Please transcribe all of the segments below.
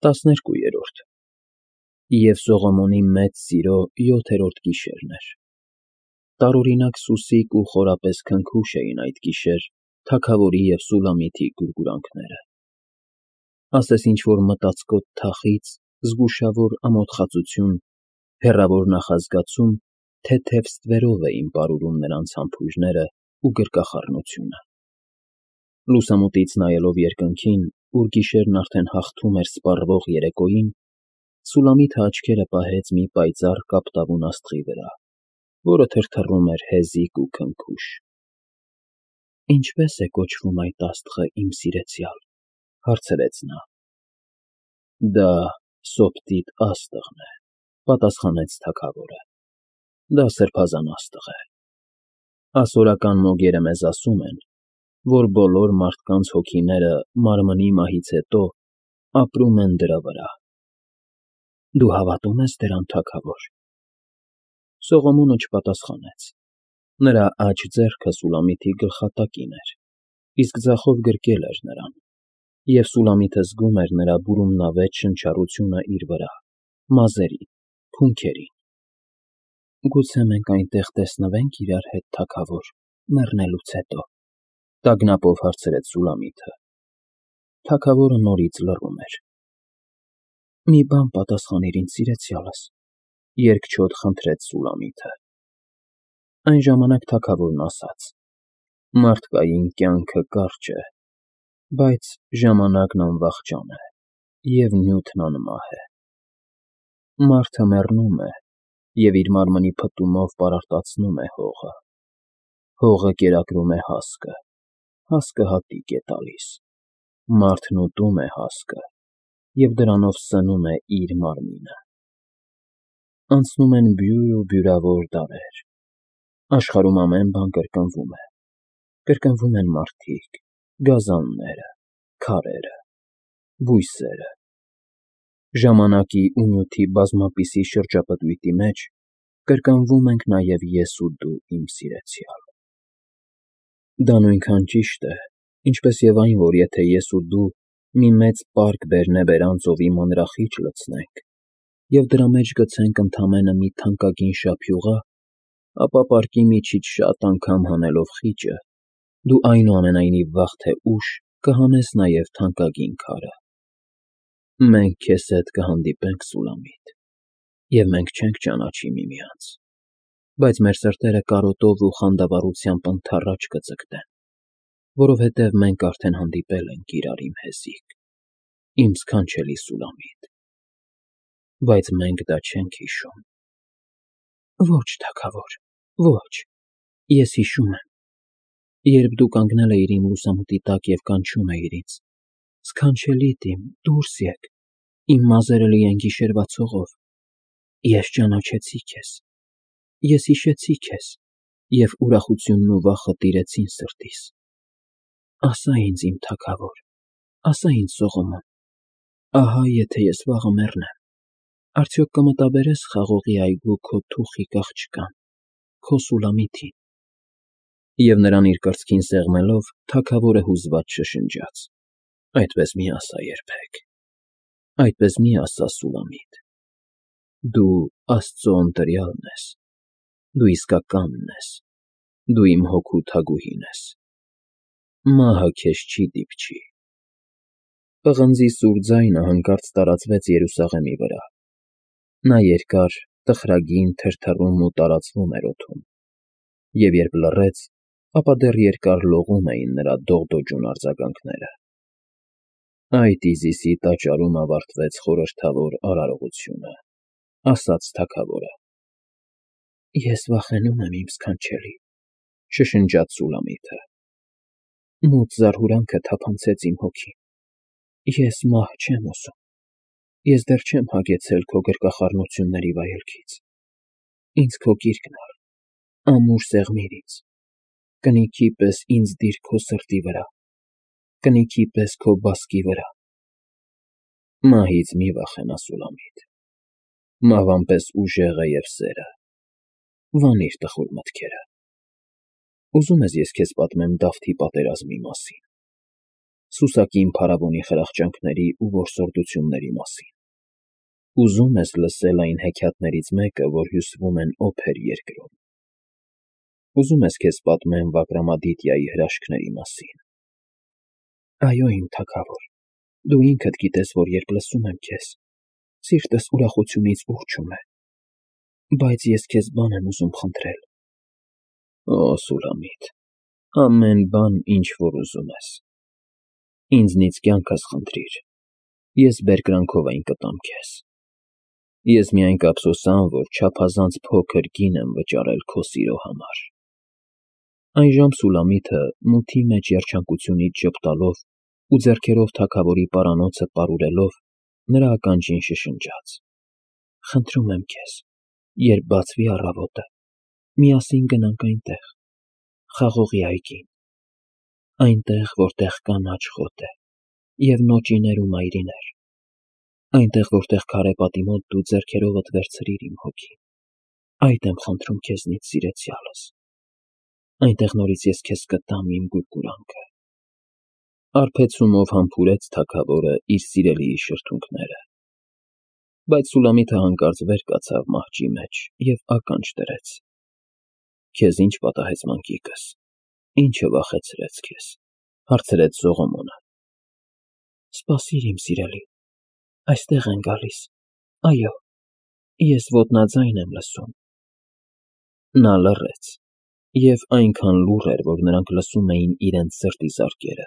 12-րդ Եվ Սողոմոնի մեծ սիրո 7-րդ գիշերն էր։ Տարօրինակ սուսիկ ու խորապես քնքուշ էին այդ գիշեր թագավորի և Սուլամիթի գուրգուրանքները։ Ասես ինչ-որ մտածկոտ թախիծ, զգուշավոր ամոթխածություն, հեռավոր նախազգացում թեթև ստվերով էին պարուրում նրանց համբույրները ու գրկախառնությունը։ Լուսամուտից նայելով երկնքին, ուր գիշերն արդեն հաղթում էր սպառվող երեկոյին, Սուլամիթը աչքերը պահեց մի պայծառ կապտավուն աստղի վրա, որը թրթռում էր հեզիկ ու քնքուշ։ «Ինչպե՞ս է կոչվում այդ աստղը, իմ սիրեցյալ», հարցրեց նա։ «Դա Սոպտիտ աստղն է», պատասխանեց թագավորը։ «Դա սրբազան աստղ է։ Ասորական մոգերը մեզ ասում են, որ բոլոր մարդկանց հոգիները մարմնի մահից հետո ապրում են դրա վրա։ Դու հավատո՞ւմ ես դրան, թագավոր»։ Սողոմոնը չպատասխանեց։ Նրա աջ ձեռքը Սուլամիթի գլխատակին էր, իսկ ձախով գրկել էր նրան, և Սուլամիթը զգում էր նրա բուրումնավետ շնչառությունը իր վրա, մազերին, փունքերին։ «Գուցե մենք այնտեղ տեսնվե՞նք իրար հետ, թագավոր, մեռնելուց հետո», տագնապով հարցրեց Սուլամիթը։ Թագավորը նորից լռում էր։ «Մի բան պատասխանիր ինձ, սիրեցյալս», երկչոտ խնդրեց Սուլամիթը։ Այն ժամանակ թագավորն ասաց. «Մարդկային կյանքը կարճ է, բայց ժամանակն անվախճան է, և նյութն անմահ է։ Մարդը մեռնում է և իր մարմնի փտումով պարարտացնում է հողը։ Հողը կերակրում է հասկը, հասկը հատիկ է տալիս, մարդն ուտում է հասկը և դրանով սնում է իր մարմինը։ Անցնում են բյուր ու բյուրավոր դարեր, աշխարհում ամեն բան կրկնվում է, կրկնվում են մարդիկ, գազանները, քարերը, բույսերը։ Ժամանակի ու նյութի բազմապիսի շրջապտույտի մեջ կրկնվում ենք նաև ես ու դու, իմ սիրեցյալ։ Դա նույնքան ճիշտ է, ինչպես և այն, որ եթե ես ու դու մի մեծ պարկ բերնեբերան ծովի մանրախիճ լցնենք և դրա մեջ գցենք ընդամենը մի թանկագին շափյուղա, ապա պարկի միջից շատ անգամ հանելով խիճը, դու այնուամենայնիվ վաղ թե ուշ կհանես նաև թանկագին քարը։ Մենք քեզ հետ կհանդիպենք, Սուլամիտ, և մենք չենք ճանաչի միմյանց, բայց մեր սրտերը կարոտով ու խանդավառությամբ ընդառաջ կձգտեն, որովհետև մենք արդեն հանդիպել ենք իրար, իմ հեզիկ, իմ սքանչելի Սուլամիտ, բայց մենք դա չենք հիշում։ Ոչ, թագավոր, ոչ, ես հիշում եմ, երբ դու կանգնել էիր իմ լուսամուտի տակ և կանչում էիր ինձ. «Սքանչելիդ իմ, դուրս եկ, իմ մազերը լի են գիշերվա ցողով»։ Ես ճանաչեցի քեզ, ես հիշեցի քեզ, և ուրախությունն ու վախը տիրեցին սրտիս։ Ասա ինձ, իմ թագավոր, ասա ինձ, Սողոմոն, ահա եթե ես վաղը մեռնեմ, արդյոք կմտաբերես խաղողի այգու քո թուխիկ աղջկան, քո Սուլամիթին։ Եվ նրան իր կրծքին սեղմելով, թագավորը հուզված շշնջաց. «Այդպես մի ասա երբեք, այդպես մի ասա, Սուլամիտ։ Դու Աստծո ընտրյալն ես, դու իսկականն ես, դու իմ հոգու թագուհին ես։ Մահը քեզ չի դիպչի»։ Պղնձի սուր ձայնը հանկարծ տարածվեց Երուսաղեմի վրա։ Նա երկար, տխրագին թրթռում ու տարածվում էր օդում, և երբ լռեց, ապա դեռ երկար լողում էին նրա դողդոջուն արձագանքները։ Այդ Իզիսի տաճարում ավարտվեց խորհրդավոր արարողությունը, ասաց թագավորը։ Ես վախենում եմ, իմ սքանչելի, շշնջաց Սուլամիթը։ Մութ զարհուրանքը թափանցեց իմ հոգին։ Ես մահ չեմ ուզում, ես դեռ չեմ հագեցել քո գրկախառնությունների վայելքից։ Ինձ քո գիրկն առ, ամուր սեղմիր ինձ, կնիքի պես ինձ դիր քո սրտի վրա, կնիքի պես քո բասկի վրա։ Մահից մի վախենա, Սուլամիտ, մահվան պես ուժեղ է և սերը։ Վանիր տխուր մտքերը։ Ուզո՞ւմ ես ես քեզ պատմեմ Դավթի պատերազմի մասին։ Սուսակի իմ փարավոնի խրախճանքների ու որսորդությունների մասին։ Ուզում ես լսել այն հեքիաթներից մեկը, որ հյուսվում են օփեր երկրում։ Ուզում ես քեզ պատմեմ Վակրամադիտիայի հրաշքների մասին։ Այո, իմ թագավոր, դու ինքդ գիտես, որ երբ լսում եմ քեզ, սիրտս ուրախությունից ուռչում է, բայց ես քեզ բան եմ ուզում խնդրել։ Օ, Սուլամիտ, ամեն բան, ինչ որ ուզում ես։ Ինձնից կյանքս խնդրիր, ես բերկրանքով այն կտամ քեզ։ Ես միայն կափսոսամ, որ չափազանց փոքր գին եմ վճարել քո սիրո համար։ Այժմ Սուլամիթը մութի մեջ երջանկությունից ժպտալով ու ձեռքերով թագավորի պարանոցը պարուրելով նրա ականջին շշնջաց. Խնդրում եմ քեզ, երբ բացվի առավոտը, միասին գնանք այնտեղ, խաղողի այգին, այնտեղ, որտեղ կանաչ խոտ է և նոճիներ ու մայրիներ, այնտեղ, որտեղ քարե պատի մոտ դու ձեռքերովդ վերցրիր իմ հոգին, այդ եմ խնդրում քեզնից, սիրեցյալս, այնտեղ նորից ես քեզ կտամ իմ գուրգուրանքը։ Արբեցումով համբուրեց թագավորը իր սիրելիի շրթունքները, բայց Սուլամիթը հանկարծ վեր կացավ մահճի մեջ և ականջ դրեց։ Քեզ ինչ պատահեց, մանկիկս, ինչը վախեցրեց քեզ, հարցրեց Սողոմոնը։ Սպասիր, իմ սիրելի, այստեղ են գալիս, այո, ես ոտնաձայն եմ լսում։ Նա լռեց, և այնքան լուռ էր, որ նրանք լսում էին իրենց սրտի զարկերը։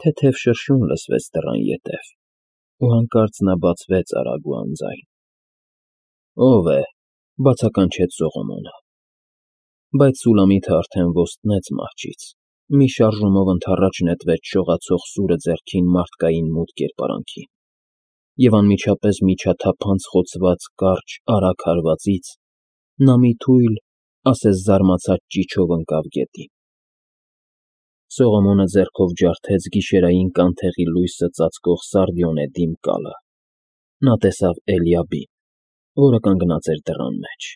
Թեթև շրշյուն լսվեց դռան ետև, ու հանկարծ նա բացվեց արագ ու անձայն։ Ո՞վ է, բացականչեց Սողոմոնը։ Բայց Սուլամիթը արդեն ոստնեց մահճից, մի շարժումով ընդառաջ նետվեց շողացող սուրը ձեռքին մարդկային մութ կերպարանքին, և անմիջապես միջաթափանց խոցված կարճ արագ հարվածից նա մի թույլ, ասես զարմացած ճիչով ընկավ գետին։ Սողոմոնը ձեռքով ջարդեց գիշերային կանթեղի լույսը ծածկող սարդիոնե դիմ կալը։ Նա տեսավ Էլիաբին, որը կանգնած էր դռան մեջ,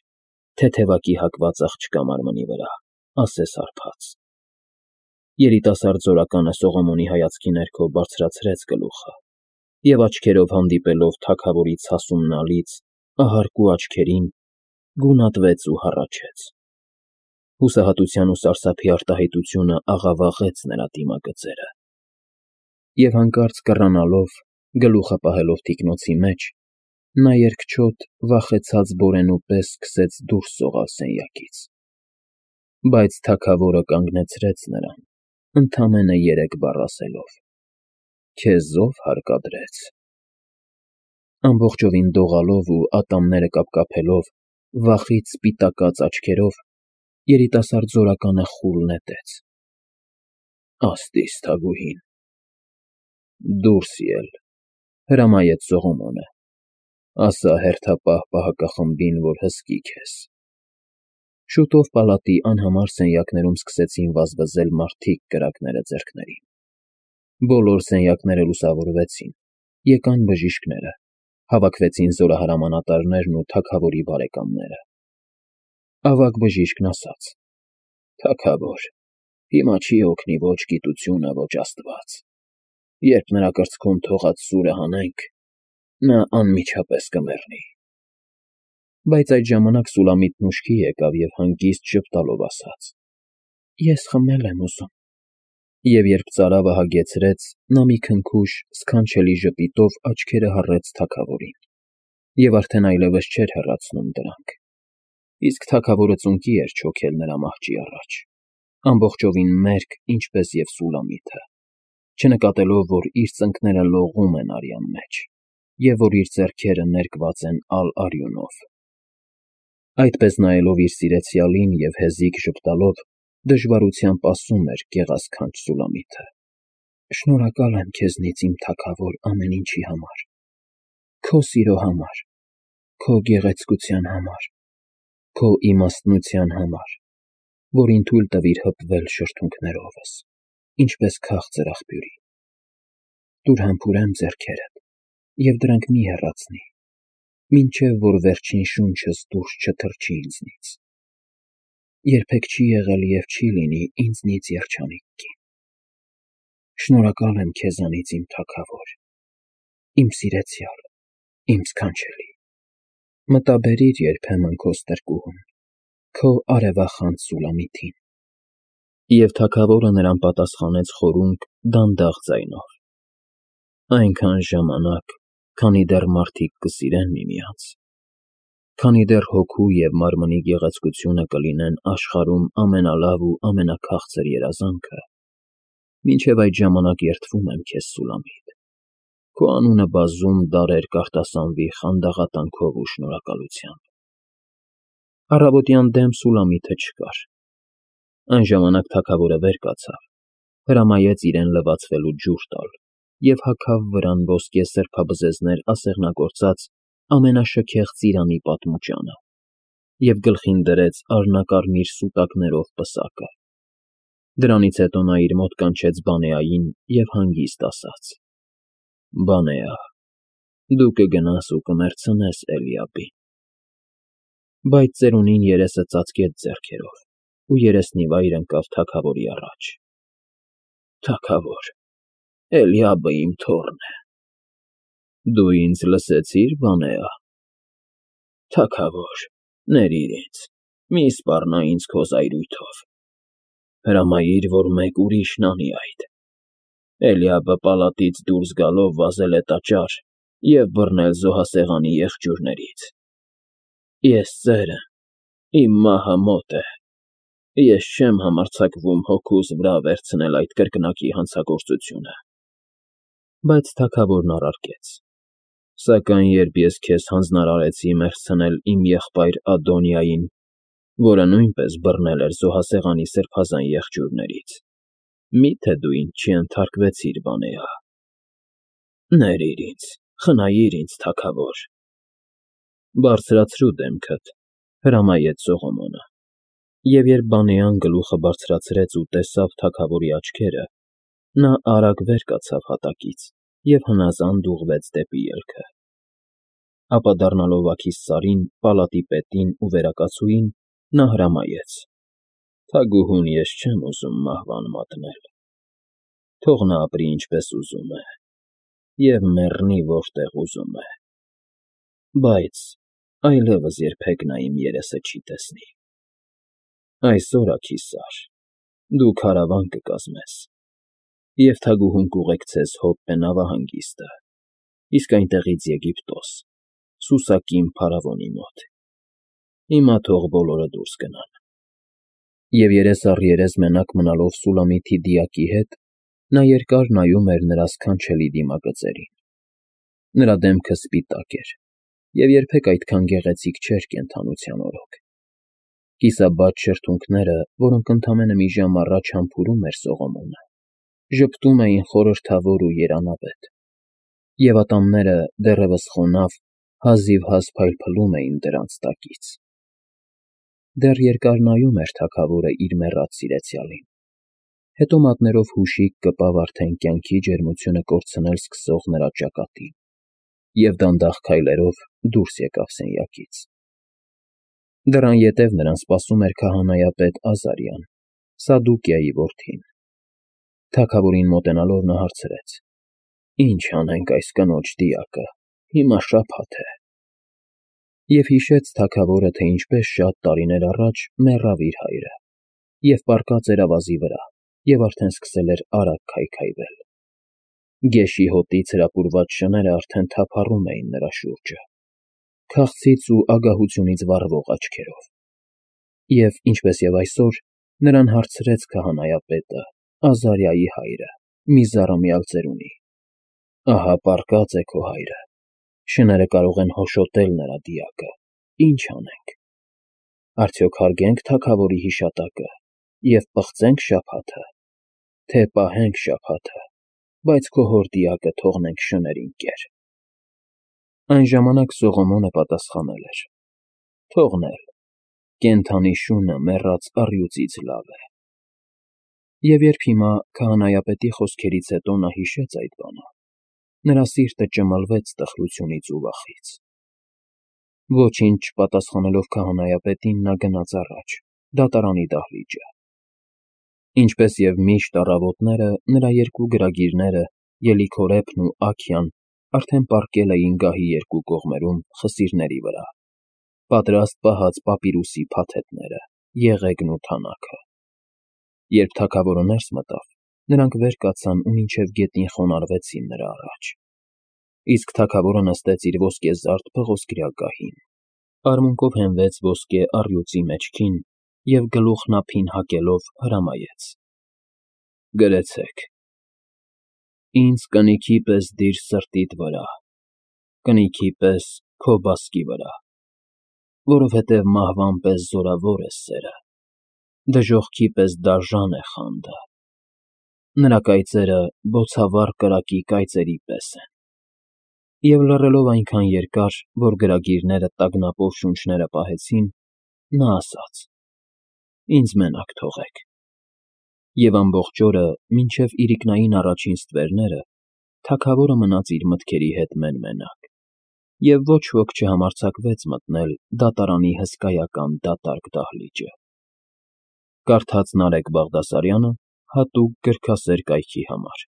թեթևակի հակված աղջկա մարմնի վրա, ասես հարբած։ Երիտասարդ զորականը Սողոմոնի հայացքի ներքո բարձրացրեց գլուխը և աչքերով հանդիպելով թագավորի ցասումնալից, ահարկու աչքերին, գունատվեց ու հառաչեց։ Հուսահատության ու սարսափի արտահայտությունը աղավաղեց նրա դիմագծերը։ Եվ հանկարծ կռանալով, գլուխը պահելով թիկնոցի մեջ, նա երկչոտ, վախեցած բորենու պես սկսեց դուրս սողալ սենյակից։ Բայց թագավորը կանգնեցրեց նրան, ընդամենը 3 բառ ասելով. Քեզ ով հարկադրեց։ Ամբողջովին դողալով ու ատամները կապկապելով, վախից սպիտակած աչքերով, երիտասարդ զորականը խուլ նետեց. Աստծի թագուհին։ Դուրս ել, հրամայեց Սողոմոնը, ասա հերթապահ պահակախմբին, որ հսկի քեզ։ Շուտով պալատի անհամար սենյակներում սկսեցին վազվզել մարդիկ կրակները ձեռքներին։ Բոլոր սենյակները լուսավորվեցին, եկան բժիշկները, հավաքվեցին զորահրամանատարներն ու թագավորի բարեկամները։ Ավագ բժիշկն ասաց. Թագավոր, հիմա չի օգնի ոչ գիտությունը, ոչ Աստված։ Երբ նրա կրծքում թողած սուրը հանենք, նա անմիջապես կմեռնի։ Բայց այդ ժամանակ Սուլամիտն ուշքի եկավ և հանգիստ ժպտալով ասաց. Ես խմել եմ ուզում։ Եվ երբ ծարավը հագեցրեց, նա մի քնքուշ, սքանչելի ժպիտով աչքերը հառեց թագավորին, և արդեն այլևս չէր հեռացնում դրանք։ Իսկ թագավորը ծունկի էր չոքել նրա մահճի առաջ, ամբողջովին մերկ, ինչպես և Սուլամիթը, չնկատելով, որ իր ծնկները լողում են արյան մեջ, և որ իր ձեռքերը ներկված են ալ֊արյունով։ Այդպես նայելով իր սիրեցյալին և հեզիգ ժպտալով, դժվարությամբ ասում էր գեղասքանչ Սուլամիթը. Շնորհակալ եմ քեզնից, իմ թագավոր, ամեն ինչի համար, քո սիրո համար, քո գեղեցկության համար, քո իմաստնության համար, որին թույլ տվիր հպվել շրթունքներովս, ինչպես քաղցր աղբյուրի։ Տուր համբուրեմ ձեռքերդ, և դրանք մի հեռացնի, մինչև որ վերջին շունչս դուրս չթռչի ինձնից։ Երբեք չի եղել և չի լինի ինձնից երջանիկ կին։ Շնորհակալ եմ քեզանից, իմ թագավոր, իմ սիրեցյալ, իմ սքանչելի, մտաբերիր երբեմն քո ստրկուհուն, քո արևախանձ Սուլամիթին։ Եվ թագավորը նրան պատասխանեց խորունկ, դանդաղ ձայնով. այնքան ժամանակ, քանի դեռ մարդիկ կսիրեն միմյանց, քանի դեռ հոգու և մարմնի գեղեցկությունը կլինեն աշխարհում ամենալավ ու ամենաքաղցր երազանքը, մինչև այդ ժամանակ երդվում եմ քեզ, Սուլամիտ, քո անունը բազում դարեր կարտասանվի խանդաղատանքով ու շնորհակալությամբ։ Առավոտյան դեմ Սուլամիթը չկար։ Այն ժամանակ թագավորը վեր կացավ, հրամայեց իրեն լվացվելու ջուր տալ և հագավ վրան ոսկե սրբաբզեզներ ասեղնագործած ամենաշքեղ ծիրանի պատմուճանը և գլխին դրեց արհնակարմիր սուտակներով պսակը։ Դրանից հետո նա իր մոտ կանչեց Բանեային և հանգիստ ասաց. «Բանեա, դու կգնաս ու կմեռցնես Էլիաբին»։ Բայց ծերունին երեսը ծածկեց ձեռքերով ու երեսնիվայր ընկավ թագավորի առաջ։ «Թագավոր, Էլիաբը իմ թոռն է»։ «Դու ինձ լսեցի՞ր, Բանեա»։ «Թագավոր, ներիր ինձ, մի սպառնա ինձ քո զայրույթով։ Հրամայիր, որ մեկ ուրիշն անի այդ։ Էլիաբը պալատից դուրս գալով վազել է տաճար և բռնել զոհասեղանի եղջյուրներից։ Ես ծեր եմ, իմ մահը մոտ է, ես չեմ համարձակվում հոգուս վրա վերցնել այդ կրկնակի հանցագործությունը»։ Բայց թագավորն առարկեց. «Սակայն երբ ես քեզ հանձնարարեցի մեռցնել իմ եղբայր Ադոնիային, որը նույնպես բռնել էր զոհասեղանի սրբազան եղջյուրներից, մի՞թե դու ինձ չընդհարկվեցիր, Բանեա։ Ներիր ինձ, խնայիր ինձ, թագավոր»։ «Բարձրացրու դեմքդ», հրամայեց Սողոմոնը։ Եվ երբ Բանեան գլուխը բարձրացրեց ու տեսավ թագավորի աչքերը, նա արագ վեր կացավ հատակից և հնազանդ ուղղվեց դեպի ելքը։ Ապա դառնալով աքիստ Սարին, պալատի պետին ու վերակացուին, նա հրամայեց. «Թագուհուն ես չեմ ուզում մահվան մատնել։ Թող նա ապրի ինչպես ուզում է և մեռնի որտեղ ուզում է, բայց այլևս երբեք նա իմ երեսը չի տեսնի։ Այսօր, աքիսար, դու քարավան կկազմես, և թագուհուն կուղեկցես Հոպպե նավահանգիստը, իսկ այնտեղից Եգիպտոս, Սուսակին փարավոնի մոտ։ Հիմա թող բոլորը դուրս գնան»։ Եվ երես առ երես մենակ մնալով Սուլամիթի դիակի հետ, նա երկար նայում էր նրա սքանչելի դիմագծերին։ Նրա դեմքը սպիտակ էր և երբեք այդքան գեղեցիկ չէր կենդանության օրոք։ Կիսաբաց շրթունքները, որոնք ընդամենը մի ժամ առաջ համբուրում էր Սողոմոնը, ժպտում էին խորհրդավոր ու երանավետ, և ատամները, դեռևս խոնավ, հազիվհազ փայլփլում էին դրանց տակից։ Դեռ երկար նայում էր թագավորը իր մեռած սիրեցյալին, հետո մատներով հուշիկ կպավ արդեն կյանքի ջերմությունը կորցնել սկսող նրա ճակատին և դանդաղ քայլերով դուրս եկավ սենյակից։ Դռան ետև նրան սպասում էր քահանայապետ Ազարյան, Սադուկիայի որդին։ Թագավորին մոտենալով նա հարցրեց. «Ի՞նչ անենք այս կնոջ դիակը, հիմա շաբաթ է»։ Եվ հիշեց թագավորը, թե ինչպես շատ տարիներ առաջ մեռավ իր հայրը, և պառկած էր ավազի վրա, և արդեն սկսել էր արագ քայքայվել։ Գեշի հոտից հրապուրված շները արդեն թափառում էին նրա շուրջը, քաղցից ու ագահությունից վառվող աչքերով։ Եվ, ինչպես և այսօր, նրան հարցրեց քահանայապետը, Ազարիայի հայրը, մի զառամյալ ծերունի. «Ահա պառկած է քո հայրը, շները կարող են հոշոտել նրա դիակը, ի՞նչ անենք. արդյոք հարգե՞նք թագավորի հիշատակը և պղծե՞նք շաբաթը, թե պահենք շաբաթը, բայց քո հոր դիակը թողնենք շներին կեր»։ Այն ժամանակ Սողոմոնը պատասխանել էր. «Թողնել, կենդանի շունը մեռած առյուծից լավ է»։ Եվ երբ հիմա քահանայապետի խոսքերից հետո նա հիշեց այդ բանը, նրա սիրտը ճմլվեց տխրությունից ու վախից։ Ոչինչ չպատասխանելով քահանայապետին, նա գնաց առաջ, դատարանի դահլիճը։ Ինչպես և միշտ առավոտները նրա երկու գրագիրները՝ Ելիքորեփն ու Աքյան, արդեն պառկել էին գահի երկու կողմերում խսիրների վրա, պատրաստ պահած պապիրուսի փաթեթները, եղեգն ու թանաքը։ Երբ թագավորը ներս մտավ, նրանք վեր կացան ու մինչև գետնին խոնարհվեցին նրա առաջ, իսկ թագավորը նստեց իր ոսկեզարդ փղոսկրյա գահին, արմունկով հենվեց ոսկե առյուծի մեջքին և գլուխն ափին հակելով հրամայեց. «Գրեցեք. «Ինձ կնիքի պես դիր սրտիդ վրա, կնիքի պես քո բասկի վրա, որովհետև մահվան պես զորավոր է սերը, դժոխքի պես դաժան է խանդը, նրա կայծերը բոցավառ կրակի կայծերի պես են»։ Եվ լռելով այնքան երկար, որ գրագիրները տագնապով շունչները պահեցին, նա ասաց. «Ինձ մենակ թողեք»։ Եվ ամբողջ օրը, մինչև իրիկնային առաջին ստվերները, թագավորը մնաց իր մտքերի հետ մեն֊մենակ, և ոչ ոք չհամարձակվեց մտնել դատարանի հսկայական դատարկ դահլիճը։ Կարդաց Նարեկ Բաղդասարյանը հատուկ գրքասեր կայքի համար։